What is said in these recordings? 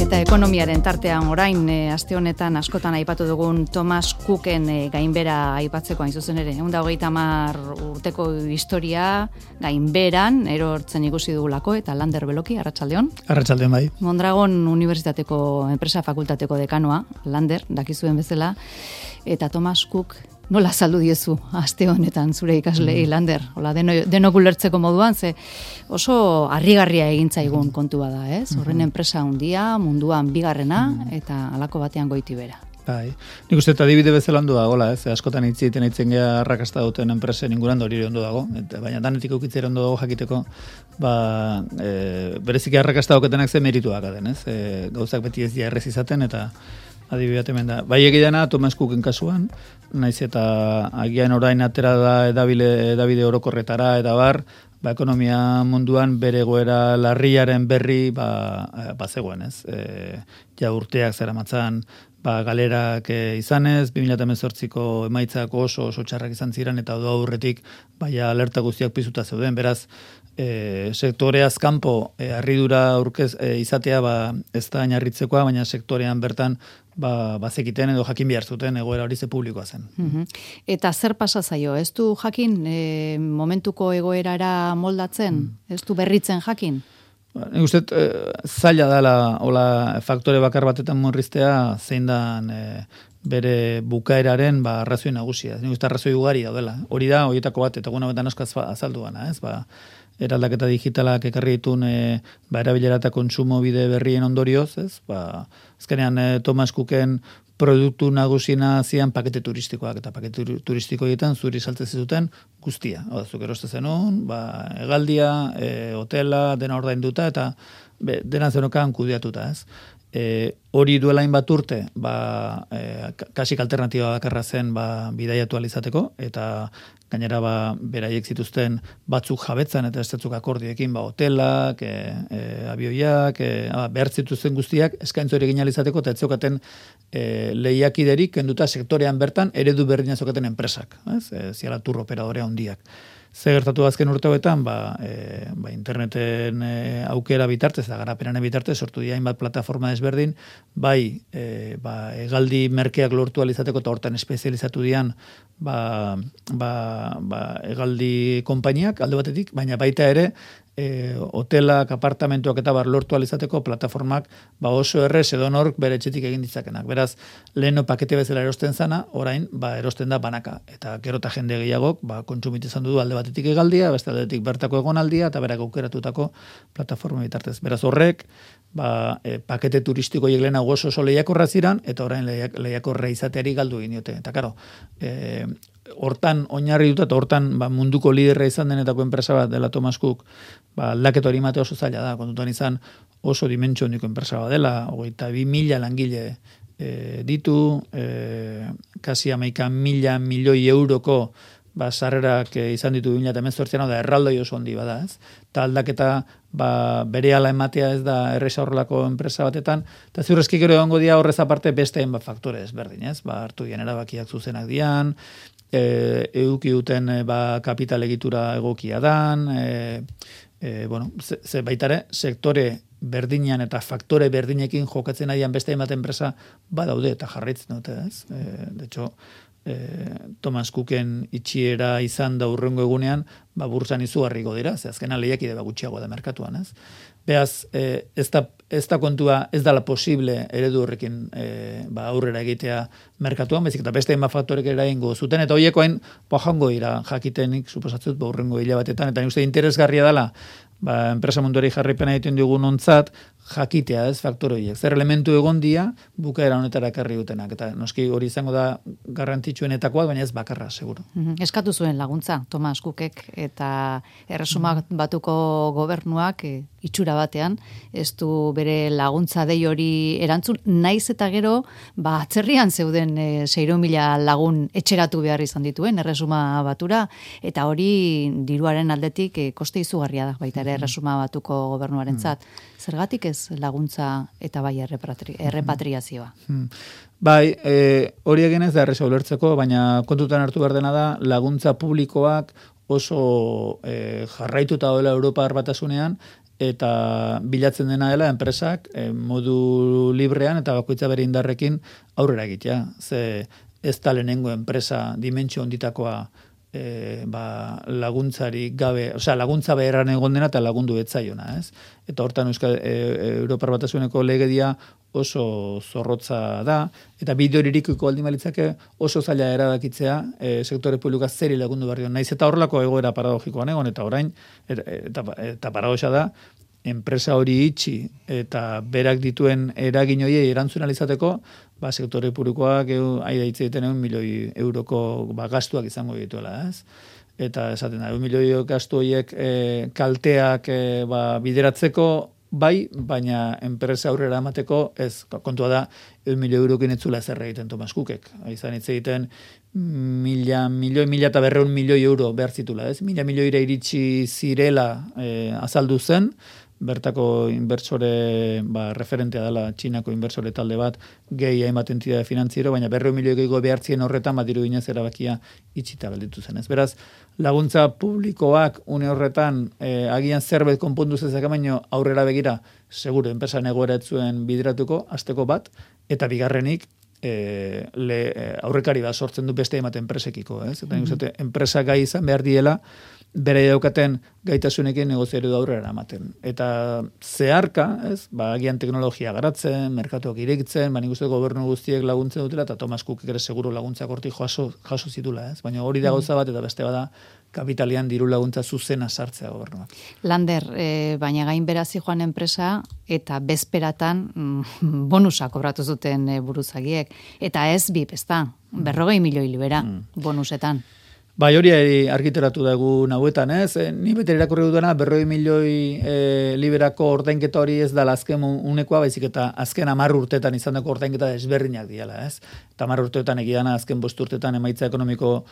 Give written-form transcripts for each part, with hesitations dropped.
Eta ekonomiaren tartean orain, aste honetan askotan aipatu dugun Thomas Cooken gainbera aipatzeko hain zuzen ere. 130 urteko historia gainberan erortzen ikusi dugulako, eta Lander Beloki, arratsaldeon. Arratsaldeon bai. Mondragon Unibertsitateko Enpresa Fakultateko dekanoa, Lander, dakizuen bezala, eta Thomas Cook nola saldu diezu aste honetan zure ikaslei, Lander? Hola, denok ulertzeko moduan, ze oso harrigarria egin zaigun kontu bada, ez? Horren enpresa handia, munduan bigarrena, eta halako batean goiti bera. Bai. Nik uste adibide bezala ondo dagoela, ez? Askotan hitzen gea arrakasta duten enpresen inguruan hori ondo dago, baina danetik ukitzera ondo dago jakiteko, bereziki arrakasta daukatenak ze merituak den, ez? Gauzak beti ez dira errez izaten, eta adibidea hemen da. Bai egidana Thomas Cooken kasuan, naiz eta agian orain atera da edabide orokorretara eta bar, ekonomia munduan bere egoera larriaren berri zegoen, ez? Ja urteak zeramatzan galerak izanez, 2018ko emaitzak oso txarrak izan ziren, eta aurretik alerta guztiak piztuta zeuden, beraz, sektoreaz kanpo harridura izatea ez da inarritzekoa, baina sektorean bertan bazekiten edo jakin behar zuten egoera hori ze publikoa zen. Eta zer pasa zaio? Ez du jakin momentuko egoerara moldatzen? Ez du berritzen jakin? Nik uste zaila dela hola faktore bakar batetan murriztea zein dan bere bukaeraren arrazoi nagusia. Nik uste arrazoi ugari daudela. Hori da, horietako bat, eta guna betan askaz azaldu gana, ez? Eraldaketa digitalak ekarri ditun erabilera eta kontsumo bide berrien ondorioz, ez? Azkenean Thomas Cooken produktu nagusina zian pakete turistikoak, eta pakete turistikoetan zuri saltzen zuten guztia. Zuk eroste zenun, hegaldia, hotela, dena ordainduta, eta dena zenokan kudeatuta, ez? Hori duela hainbat urte, kasik alternatiba bakarra zen bidaiatu alizateko, eta gainera beraiek zituzten batzuk jabetzan eta estetzuk akordioekin, hotelak, abioiak, behar zituzten guztiak eskaintza hori egin alizateko, eta etzokaten lehiakiderik kenduta sektorean bertan eredu berdina zokaten enpresak, ziala tour operadorea handiak. Ze gertatu azken urteetan, interneten aukera bitartez, da garapenaren bitartez, sortu dira hainbat plataforma desberdin, hegaldi merkeak lortu alizateko eta hortan espezializatu dian hegaldi konpainiak alde batetik, baina baita ere hotelak, apartamentuak eta lortu alizateko plataformak oso errez edonork bere etxetik egin ditzakenak. Beraz, leheno pakete bezala erosten zana, orain erosten da banaka. Eta gero eta jende gehiagok kontsumitizan du alde batetik hegaldia, beste aldetik bertako egonaldia, eta berak aukeratutako plataforma bitartez. Beraz, horrek pakete turistikoiek lehena oso lehiakorra ziran, eta orain lehiakorra izateari galdu egin diote. Eta karo, hortan oinarri dut, eta hortan munduko liderra izan denetako enpresa bat dela Thomas Cook, aldaketa hori mate oso zaila da, kontutan izan oso dimentsio handiko enpresa bat dela, 22.000 langile ditu, kasi 11.000 milioi euroko sarrerak izan ditu 2018an, da erraldoi oso handi bada, ez? Eta aldaketa berehala ematea ez da erresa horrelako enpresa batetan, eta ziurrezki gero egongo dia horrez aparte beste faktore ezberdin, ez? Hartu dian erabakiak zuzenak dian, eduki duten kapital egitura egokia dan, ze baitare sektore berdinean eta faktore berdinekin jokatzen adian beste hainbat enpresa badaude eta jarraitzen dute, ez? De hecho, Thomas Cooken itxiera izan da urrengo egunean, burtsan izugarriko dira, ze azkena lehiakide gutxiago da merkatuan, ez? Beaz, ez da kontua, ez dala posible eredu horrekin aurrera egitea merkatuan, bezik eta beste hainbat faktorek eragingo zuten, eta horieko joango dira jakitenik, suposatzut, urrengo hilabatetan, eta nik uste interesgarria dela, enpresa munduari jarripena egiten dugun ontzat, jakitea, ez, faktore horiek. Zer elementu egon dia, bukaera honetara ekarri dutenak, eta noski hori izango da garrantzitsuenetakoa, baina ez bakarra, seguro. Eskatu zuen laguntza, Thomas Cookek, eta Erresuma Batuko gobernuak itxura batean, ez du bere laguntza dei hori erantzun, naiz eta gero, atzerrian zeuden 600.000 lagun etxeratu behar izan dituen, Erresuma Batura, eta hori diruaren aldetik koste izugarria da, baita ere Erresuma Batuko gobernuarentzat. Zergatik ez laguntza eta bai errepatriazioa? Bai, hori egin ez da erresa ulertzeko, baina kontutan hartu behar dena da, laguntza publikoak oso jarraituta dela Europar Batasunean, eta bilatzen dena dela enpresak modu librean eta bakoitza bere indarrekin aurrera egitea. Ze ez da lehenengo enpresa dimentsio onditakoa laguntzari gabe, laguntza beharran egon dena eta lagundu etzaiona, ez? Eta hortan Europar Batasuneko legedia oso zorrotza da, eta bide horirikuko aldin balitzake oso zaila erabakitzea sektore publikoa zeri lagundu behar dion. Naiz eta horrelako egoera paradogikoan egon, eta orain, eta paradoxa da, enpresa hori itxi eta berak dituen eragin horiei erantzun alizateko, sektore publikoak aida hitz egiten 1 milioi euroko gastuak izango dituela, ez? Eta esaten da, 1 milioi gastu horiek kalteak bideratzeko bai, baina enpresa aurrera emateko ez, kontua da, 1 milioi eurokin etzula zer egiten Tomas Cookek. Izan hitz egiten 1.200 milioi euro behar zitula, ez? 1.000 milioira iritsi zirela azaldu zen, bertako inversore referentea dela Txinako inversore talde bat gehi hainbat entitate finantziero, baina 200 milioi gehiago behartzien horretan diru ginez erabakia itxita gelditu zen. Beraz, laguntza publikoak une horretan agian zerbait konpondu zezak baino aurrera begira, seguro, enpresan egoera etzuen bideratuko, asteko bat, eta bigarrenik, aurrekari bat sortzen du beste hainbat enpresekiko, ez? Eta enpresa gai izan behar diela, bere daukaten gaitasunekin negoziario da aurrera ematen. Eta zeharka, ez, agian teknologia garatzen, merkatuak irekitzen, nik uste gobernu guztiek laguntzen dutela, eta Tomas Cook ere seguro laguntzak hortik jaso zitula, ez? Baina hori da gauza bat, eta beste bada kapitalian diru laguntza zuzena sartzea gobernuak. Lander, baina gain berazi joan enpresa, eta bezperatan bonusa kobratu zuten buruzagiek. Eta ez bip, ez da, 40 milioi libera bonusetan. Bai, hori argiteratu dugu nahuetan, ez? Ni bete irakurri dudana, 40 milioi liberako ordainketa hori ez da azken unekoa, baizik eta azken 10 urtetan izan dako ordainketa desberdinak diala, ez? Eta 10 urtetan egidana azken 5 urtetan emaitza ekonomiko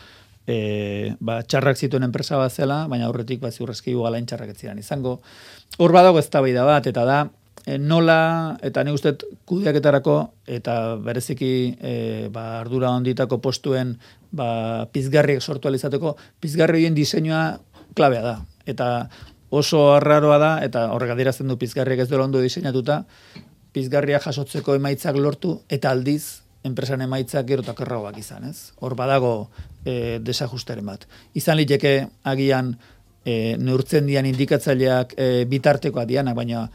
txarrak zituen enpresa bat zela, baina aurretik ziurrezki galain txarrak etzidan izango. Hor badago eztabaida bat, eta da, nola, eta nik uste kudeaketarako, eta bereziki ardura onditako postuen pizgarriek sortu alizateko, pizgarri horien diseinua klabea da. Eta oso arraroa da, eta horrek adierazten du pizgarriek ez dela ondo diseinatuta, pizgarria jasotzeko emaitzak lortu, eta aldiz, enpresan emaitzak gero eta kerragoak izan, ez? Hor badago desajusteren bat. Izan liteke agian neurtzen dian indikatzaileak bitartekoa dianak, baina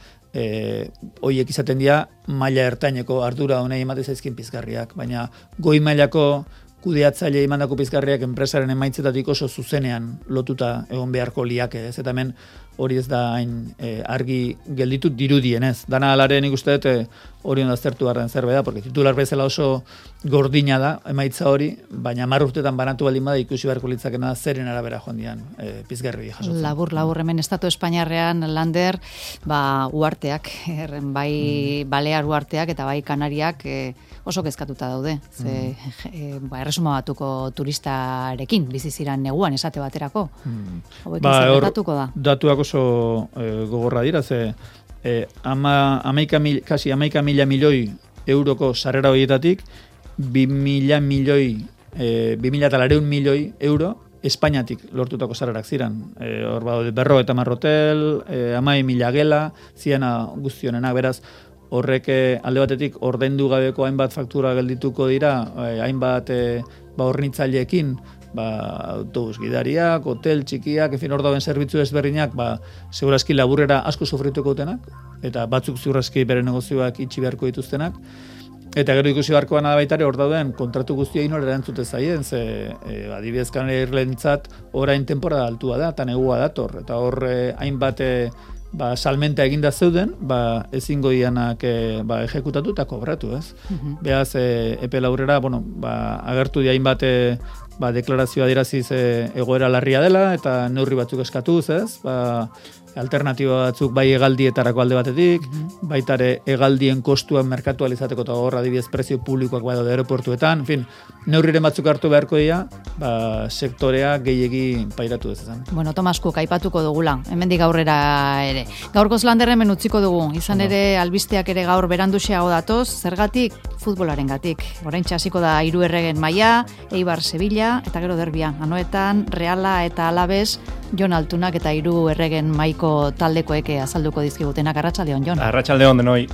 hoiek izaten dira maila ertaineko ardura honei emate zaizkin pizgarriak, baina goi mailako kudeatzaile emandako pizgarriak enpresaren emaitzetatik oso zuzenean lotuta egon beharko liake, ez? Eta hemen hori ez da hain argi gelditu dirudien, ez? Dana alaren ikuste dut hori ondaztertu garden zerbait da, porque titular bezala oso gordina da emaitza hori, baina 10 urtetan banatu baldin bada ikusi beharko litzakena zeren arabera joan dian pizgarri jasotzen. Labur hemen Estatu Espainiarrean, Lander, uarteak, bai Balear uarteak eta bai Kanariak oso kezkatuta daude. Ze Erresuma Batuko turistarekin bizi ziran neguan esate baterako. Hauek gertatuko da. Datuak oso gogorra dira, ze kasi 11.000 milioi euroko sarrera horietatik 2.000 milioi 2.200 milioi euro Espainiatik lortutako sarrerak ziren. Hor badaude 50 hotel, 11.000 gela, ziena guztionenak, beraz, horrek alde batetik ordaindu gabeko hainbat faktura geldituko dira, hainbat hornitzaileekin, autobus gidariak, hotel txikiak, hor dauden zerbitzu ezberdinak, segurazki laburrera asko sufrituko dutenak, eta batzuk ziurrazki bere negozioak itxi beharko dituztenak, eta gero ikusi beharkoan da baitare hor dauden kontratu guztia inor erantzute zaien, ze adibidez Kanariarrentzat orain temporada altua da, eta negua dator, eta hor hainbat salmenta eginda zeuden, ezingo dianak ejekutatu eta kobratu, ez? Beaz, epe laurrera, agertu di hainbat deklarazioa diraziz egoera larria dela, eta neurri batzuk eskatuz, ez? Alternatiba batzuk bai hegaldietarako alde batetik, baitare hegaldien kostuen merkatualizateko eta horra adibidez prezio publikoak badaude aeroportuetan, en fin, neurriren batzuk hartu beharko dira, sektorea gehiegi pairatu dezazan. Bueno, Tomas Cook, aipatuko dugula, hemendik aurrera ere. Gaurkoz Lander hemen utziko dugu, izan ere albisteak ere gaur beranduxeago datoz, zergatik futbolarengatik. Oraintxe hasiko da 3 erregen maila, Eibar Sevilla, taldea eta gero derbia. Anoetan Reala eta Alabes, Jon Altunak eta 3 erregen maiko taldekoek azalduko dizkigutenak. Arratsaldeon, Jon. Arratsaldeon denoi.